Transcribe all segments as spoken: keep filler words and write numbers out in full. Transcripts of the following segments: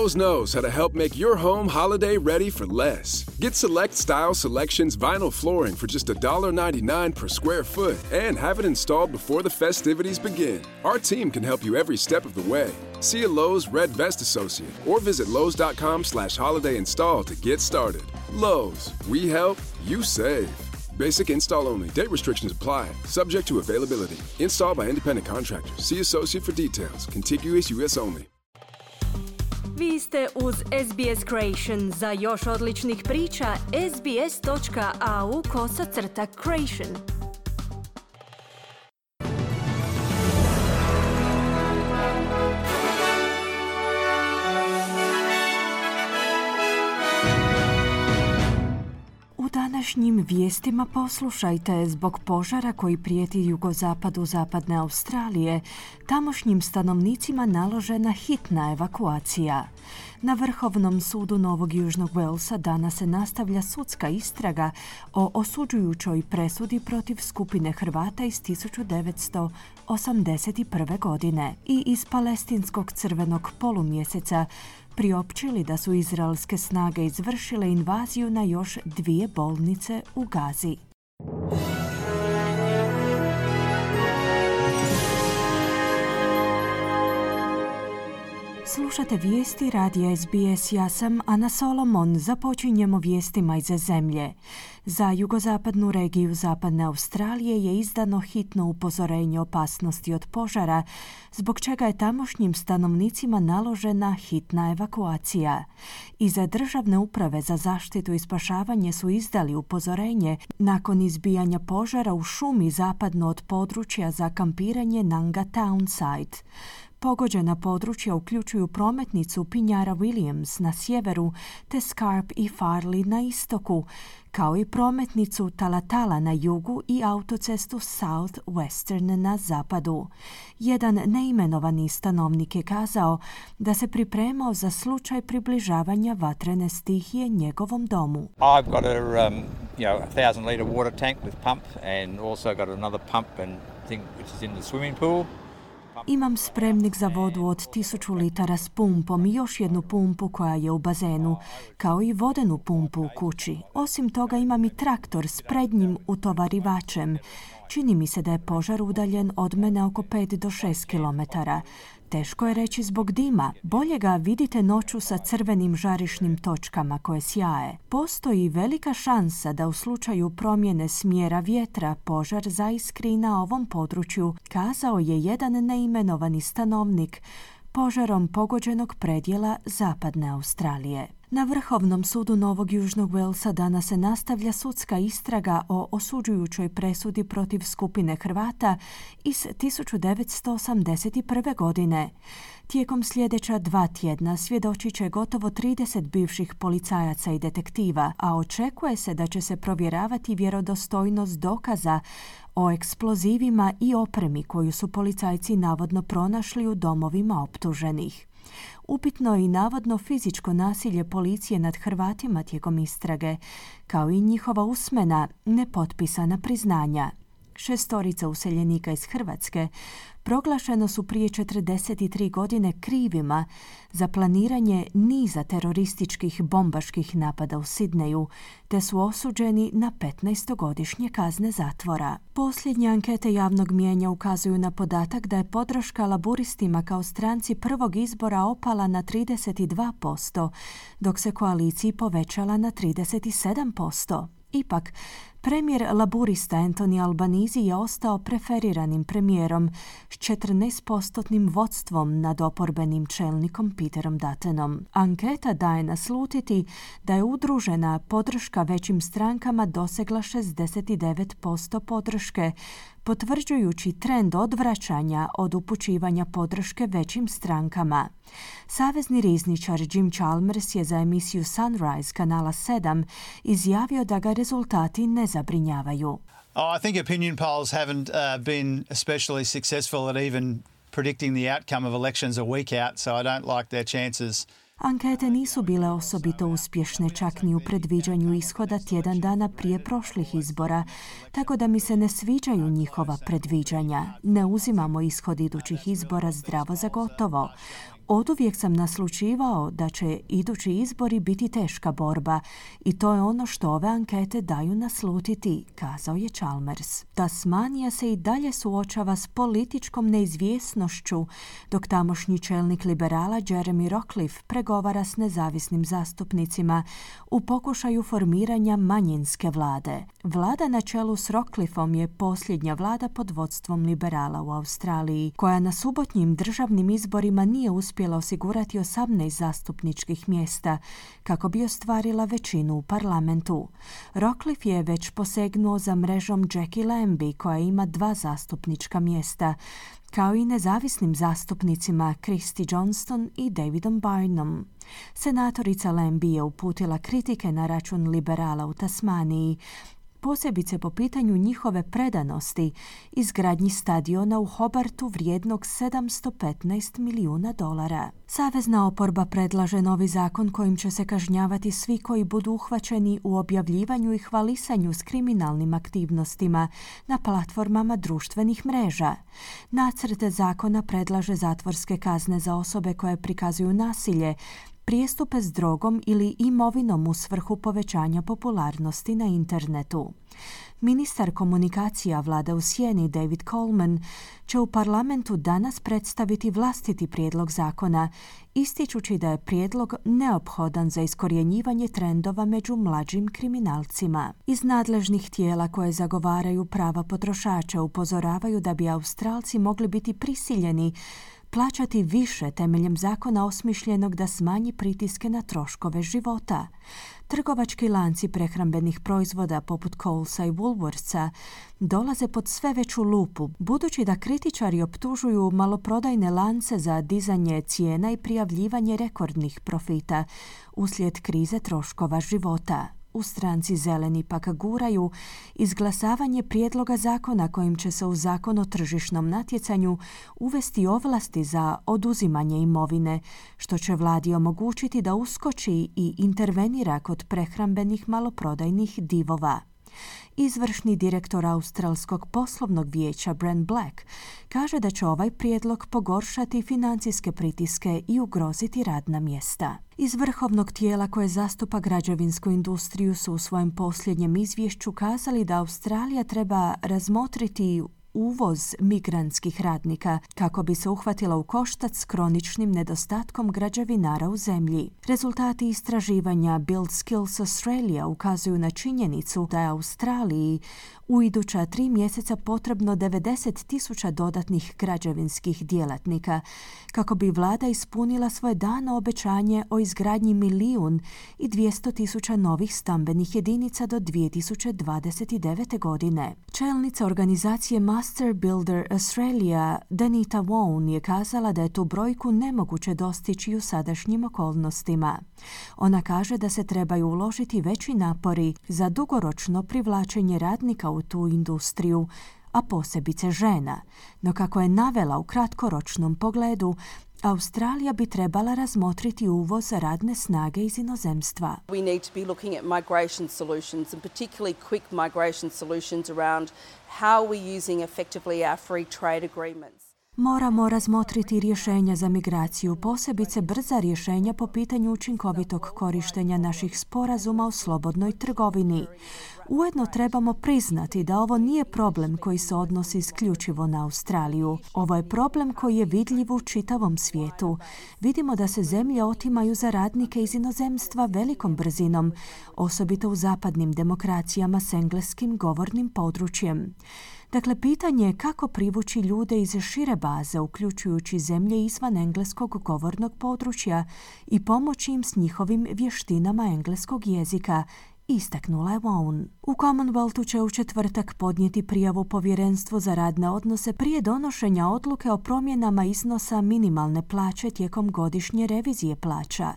Lowe's knows how to help make your home holiday ready for less. Get Select Style Selections vinyl flooring for just one ninety-nine per square foot and have it installed before the festivities begin. Our team can help you every step of the way. See a Lowe's Red Vest associate or visit Lowe's.com slash holiday install to get started. Lowe's, we help, you save. Basic install only. Date restrictions apply. Subject to availability. Installed by independent contractors. See associate for details. Contiguous U S only. Vi ste uz S B S Creation. Za još odličnih priča, sbs.au kosacrta Creation. U današnjim vijestima poslušajte, zbog požara koji prijeti jugozapadu zapadne Australije, tamošnjim stanovnicima naložena hitna evakuacija. Na Vrhovnom sudu Novog Južnog Walesa danas se nastavlja sudska istraga o osuđujućoj presudi protiv skupine Hrvata iz tisuću devetsto osamdeset prve. godine i iz palestinskog crvenog polumjeseca priopćili da su izraelske snage izvršile invaziju na još dvije bolnice u Gazi. Slušate vijesti radija S B S, ja sam Ana Solomon. Započinjemo vijestima iz zemlje. Za jugozapadnu regiju zapadne Australije je izdano hitno upozorenje opasnosti od požara, zbog čega je tamošnjim stanovnicima naložena hitna evakuacija. Iza Državne uprave za zaštitu i spašavanje su izdali upozorenje nakon izbijanja požara u šumi zapadno od područja za kampiranje Nanga Townside. Pogođena područja uključuju prometnicu Pinjara Williams na sjeveru te Scarp i Farley na istoku, kao i prometnicu Talatala na jugu i autocestu South Western na zapadu. Jedan neimenovani stanovnik je kazao da se pripremao za slučaj približavanja vatrene stihije njegovom domu. I've got a, um, you know, a thousand litre water tank with pump and also got another pump and thing which is in the swimming pool. Imam spremnik za vodu od tisuću litara s pumpom i još jednu pumpu koja je u bazenu, kao i vodenu pumpu u kući. Osim toga imam i traktor s prednjim utovarivačem. Čini mi se da je požar udaljen od mene oko pet do šest kilometara. Teško je reći zbog dima. Bolje ga vidite noću sa crvenim žarišnim točkama koje sjaje. Postoji velika šansa da u slučaju promjene smjera vjetra požar zaiskri na ovom području, kazao je jedan neimenovani stanovnik požarom pogođenog predjela zapadne Australije. Na Vrhovnom sudu Novog Južnog Walesa danas se nastavlja sudska istraga o osuđujućoj presudi protiv skupine Hrvata iz tisuću devetsto osamdeset prve. godine. Tijekom sljedeća dva tjedna svjedočit će gotovo trideset bivših policajaca i detektiva, a očekuje se da će se provjeravati vjerodostojnost dokaza o eksplozivima i opremi koju su policajci navodno pronašli u domovima optuženih. Upitno je i navodno fizičko nasilje policije nad Hrvatima tijekom istrage, kao i njihova usmena, nepotpisana priznanja. Šestorica useljenika iz Hrvatske proglašeno su prije četrdeset tri godine krivima za planiranje niza terorističkih bombaških napada u Sidneju, te su osuđeni na petnaestogodišnje kazne zatvora. Posljednje ankete javnog mijenja ukazuju na podatak da je podrška laburistima kao stranci prvog izbora opala na trideset dva posto, dok se koaliciji povećala na trideset sedam posto. Ipak, premijer laburista Anthony Albanese je ostao preferiranim premijerom s četrnaestpostotnim vodstvom nad oporbenim čelnikom Peterom Duttonom. Anketa daje naslutiti da je udružena podrška većim strankama dosegla šezdeset devet posto podrške, potvrđujući trend odvraćanja od upućivanja podrške većim strankama. Savezni rizničar Jim Chalmers je za emisiju Sunrise kanala sedam izjavio da ga rezultati ne zabrinjavaju. Oh, I think opinion polls haven't uh, been especially successful at even predicting the outcome of elections a week out, so I don't like their chances. Ankete nisu bile osobito uspješne čak ni u predviđanju ishoda tjedan dana prije prošlih izbora, tako da mi se ne sviđaju njihova predviđanja. Ne uzimamo ishod idućih izbora zdravo za gotovo. Oduvijek sam naslućivao da će idući izbori biti teška borba i to je ono što ove ankete daju naslutiti, kazao je Chalmers. Tasmanija se i dalje suočava s političkom neizvjesnošću, dok tamošnji čelnik liberala Jeremy Rockliff pregovara s nezavisnim zastupnicima u pokušaju formiranja manjinske vlade. Vlada na čelu s Rockliffom je posljednja vlada pod vodstvom liberala u Australiji, koja na subotnjim državnim izborima nije uspjela osigurati osamnaest zastupničkih mjesta kako bi ostvarila većinu u parlamentu. Rockliff je već posegnuo za mrežom Jackie Lambie, koja ima dva zastupnička mjesta, kao i nezavisnim zastupnicima Christy Johnston i Davidom Byrnem. Senatorica Lambie je uputila kritike na račun liberala u Tasmaniji, posebice po pitanju njihove predanosti izgradnji stadiona u Hobartu vrijednog sedamsto petnaest milijuna dolara. Savezna oporba predlaže novi zakon kojim će se kažnjavati svi koji budu uhvaćeni u objavljivanju i hvalisanju s kriminalnim aktivnostima na platformama društvenih mreža. Nacrt zakona predlaže zatvorske kazne za osobe koje prikazuju nasilje, prijestupe s drogom ili imovinom u svrhu povećanja popularnosti na internetu. Ministar komunikacija vlade u sjeni David Coleman će u parlamentu danas predstaviti vlastiti prijedlog zakona, ističući da je prijedlog neophodan za iskorjenjivanje trendova među mlađim kriminalcima. Iz nadležnih tijela koje zagovaraju prava potrošača upozoravaju da bi Australci mogli biti prisiljeni plaćati više temeljem zakona osmišljenog da smanji pritiske na troškove života. Trgovački lanci prehrambenih proizvoda poput Colesa i Woolworthsa dolaze pod sve veću lupu, budući da kritičari optužuju maloprodajne lance za dizanje cijena i prijavljivanje rekordnih profita uslijed krize troškova života. U stranci Zeleni pak guraju izglasavanje prijedloga zakona kojim će se u zakon o tržišnom natjecanju uvesti ovlasti za oduzimanje imovine, što će vladi omogućiti da uskoči i intervenira kod prehrambenih maloprodajnih divova. Izvršni direktor Australskog poslovnog vijeća Brent Black kaže da će ovaj prijedlog pogoršati financijske pritiske i ugroziti radna mjesta. Iz vrhovnog tijela koje zastupa građevinsku industriju su u svojem posljednjem izvješću kazali da Australija treba razmotriti uvoz migrantskih radnika kako bi se uhvatila u koštac s kroničnim nedostatkom građevinara u zemlji. Rezultati istraživanja Build Skills Australia ukazuju na činjenicu da je Australiji u iduća tri mjeseca potrebno devedeset tisuća dodatnih građevinskih djelatnika kako bi vlada ispunila svoje dano obećanje o izgradnji milijun i dvjesto tisuća novih stambenih jedinica do dvije tisuće dvadeset devete. godine. Čelnica organizacije Master Builder Australia Danita Wone je kazala da je tu brojku nemoguće dostići u sadašnjim okolnostima. Ona kaže da se trebaju uložiti veći napori za dugoročno privlačenje radnika u tu industriju, a posebice žena. No kako je navela u kratkoročnom pogledu, Australija bi trebala razmotriti uvoz radne snage iz inozemstva. We need to be looking at migration solutions and particularly quick migration solutions around how we're using effectively our free trade agreements. Moramo razmotriti rješenja za migraciju, posebice brza rješenja po pitanju učinkovitog korištenja naših sporazuma o slobodnoj trgovini. Ujedno trebamo priznati da ovo nije problem koji se odnosi isključivo na Australiju. Ovo je problem koji je vidljiv u čitavom svijetu. Vidimo da se zemlje otimaju za radnike iz inozemstva velikom brzinom, osobito u zapadnim demokracijama s engleskim govornim područjem. Dakle, pitanje je kako privući ljude iz šire baze, uključujući zemlje izvan engleskog govornog područja i pomoći im s njihovim vještinama engleskog jezika, istaknula je Wone. U Commonwealthu će u četvrtak podnijeti prijavu Povjerenstvu za radne odnose prije donošenja odluke o promjenama iznosa minimalne plaće tijekom godišnje revizije plaća.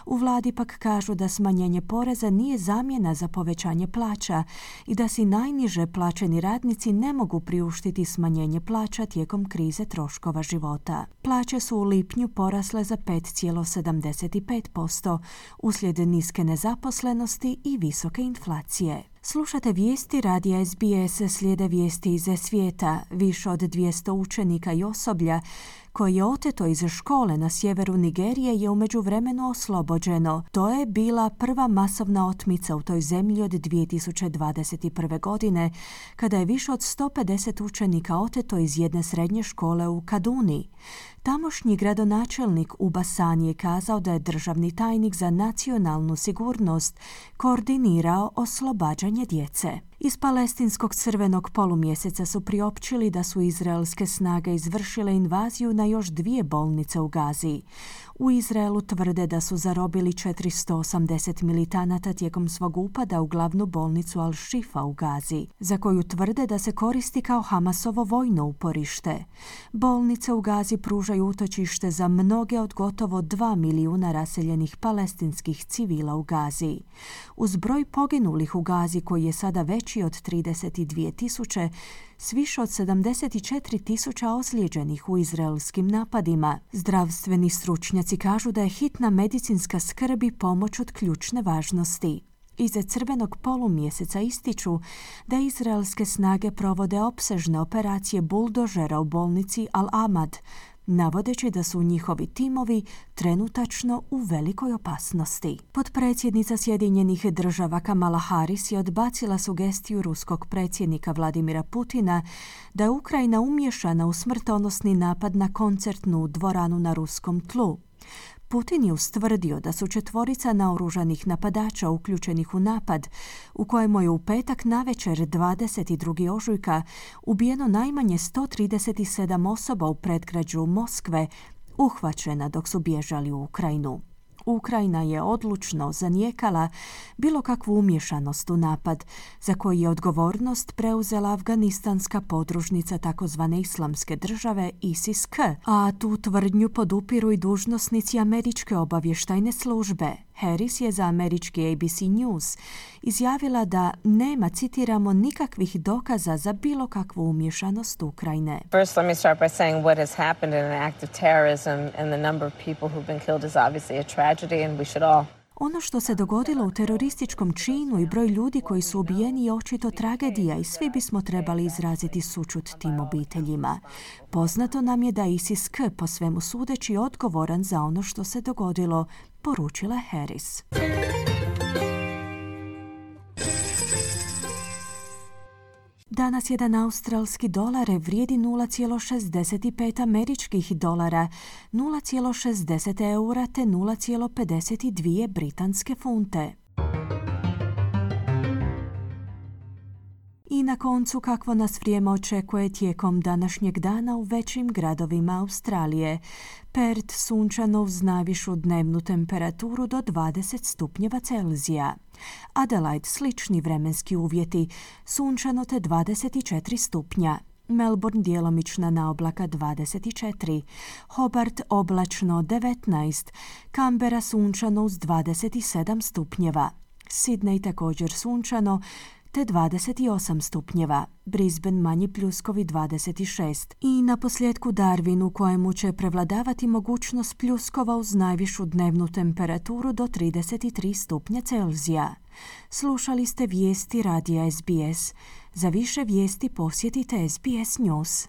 U vladi pak kažu da smanjenje poreza nije zamjena za povećanje plaća i da si najniže plaćeni radnici ne mogu priuštiti smanjenje plaća tijekom krize troškova života. Plaće su u lipnju porasle za pet zarez sedamdeset pet posto uslijed niske nezaposlenosti i visoke inflacije. Slušate vijesti radija S B S, slijede vijesti iz svijeta. Više od dvjesto učenika i osoblja koje je oteto iz škole na sjeveru Nigerije, je u međuvremenu oslobođeno. To je bila prva masovna otmica u toj zemlji od dvije tisuće dvadeset prve. godine, kada je više od sto pedeset učenika oteto iz jedne srednje škole u Kaduni. Tamošnji gradonačelnik Uba Sani je kazao da je državni tajnik za nacionalnu sigurnost koordinirao oslobađanje djece. Iz palestinskog crvenog polumjeseca su priopćili da su izraelske snage izvršile invaziju na još dvije bolnice u Gazi. U Izraelu tvrde da su zarobili četiristo osamdeset militanata tijekom svog upada u glavnu bolnicu Al-Shifa u Gazi, za koju tvrde da se koristi kao Hamasovo vojno uporište. Bolnice u Gazi pružaju utočište za mnoge od gotovo dva milijuna raseljenih palestinskih civila u Gazi. Uz broj poginulih u Gazi, koji je sada veći od trideset dvije tisuće, s više od sedamdeset četiri tisuće ozlijeđenih u izraelskim napadima. Zdravstveni stručnjaci kažu da je hitna medicinska skrb i pomoć od ključne važnosti. Iza crvenog polumjeseca ističu da izraelske snage provode opsežne operacije buldožera u bolnici Al-Ahmad, navodeći da su njihovi timovi trenutačno u velikoj opasnosti. Potpredsjednica Sjedinjenih država Kamala Harris je odbacila sugestiju ruskog predsjednika Vladimira Putina da je Ukrajina umiješana u smrtonosni napad na koncertnu dvoranu na ruskom tlu. Putin je ustvrdio da su četvorica naoružanih napadača uključenih u napad, u kojemu je u petak navečer dvadeset drugog ožujka ubijeno najmanje sto trideset sedam osoba u predgrađu Moskve, uhvaćena dok su bježali u Ukrajinu. Ukrajina je odlučno zanijekala bilo kakvu umješanost u napad, za koji je odgovornost preuzela afganistanska podružnica takozvane islamske države ISIS-K, a tu tvrdnju podupiru i dužnosnici američke obavještajne službe. Harris je za američki A B C News izjavila da nema, citiramo, nikakvih dokaza za bilo kakvu umješanost Ukrajine. First, let me start by saying what has happened in an act of terrorism and the number of people who've been killed is obviously a tragedy and we should all Ono što se dogodilo u terorističkom činu i broj ljudi koji su ubijeni je očito tragedija i svi bismo trebali izraziti sućut tim obiteljima. Poznato nam je da ISIS-K po svemu sudeći odgovoran za ono što se dogodilo, poručila Harris. Danas jedan australski dolar vrijedi nula zarez šezdeset pet američkih dolara, nula zarez šezdeset eura te nula zarez pedeset dvije britanske funte. I na koncu, kakvo nas vrijeme očekuje tijekom današnjeg dana u većim gradovima Australije. Perth sunčano uz najvišu dnevnu temperaturu do dvadeset stupnjeva Celzija. Adelaide slični vremenski uvjeti, sunčano te dvadeset četiri stupnja. Melbourne djelomična naoblaka dvadeset četiri, Hobart oblačno devetnaest, Canberra sunčano uz dvadeset sedam stupnjeva, Sydney također sunčano te dvadeset osam stupnjeva, Brisbane manji pljuskovi dvadeset šest i na posljedku Darwin, u kojemu će prevladavati mogućnost pljuskova uz najvišu dnevnu temperaturu do trideset tri stupnja Celzija. Slušali ste vijesti radija S B S. Za više vijesti posjetite S B S News.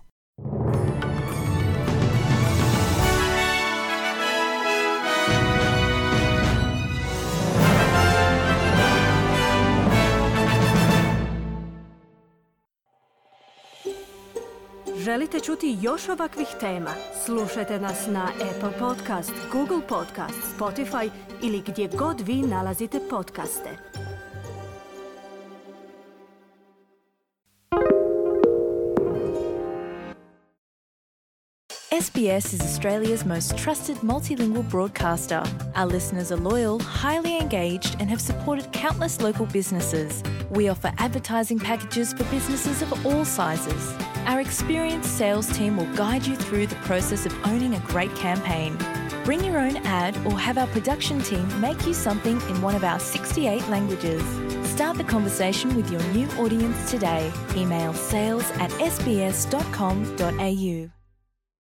Želite čuti još ovakvih tema? Slušajte nas na Apple Podcast, Google Podcast, Spotify ili gdje god vi nalazite podcaste. S B S is Australia's most trusted multilingual broadcaster. Our listeners are loyal, highly engaged, and have supported countless local businesses. We offer advertising packages for businesses of all sizes. Our experienced sales team will guide you through the process of owning a great campaign. Bring your own ad or have our production team make you something in one of our sixty-eight languages. Start the conversation with your new audience today. Email sales at s b s dot com dot a u.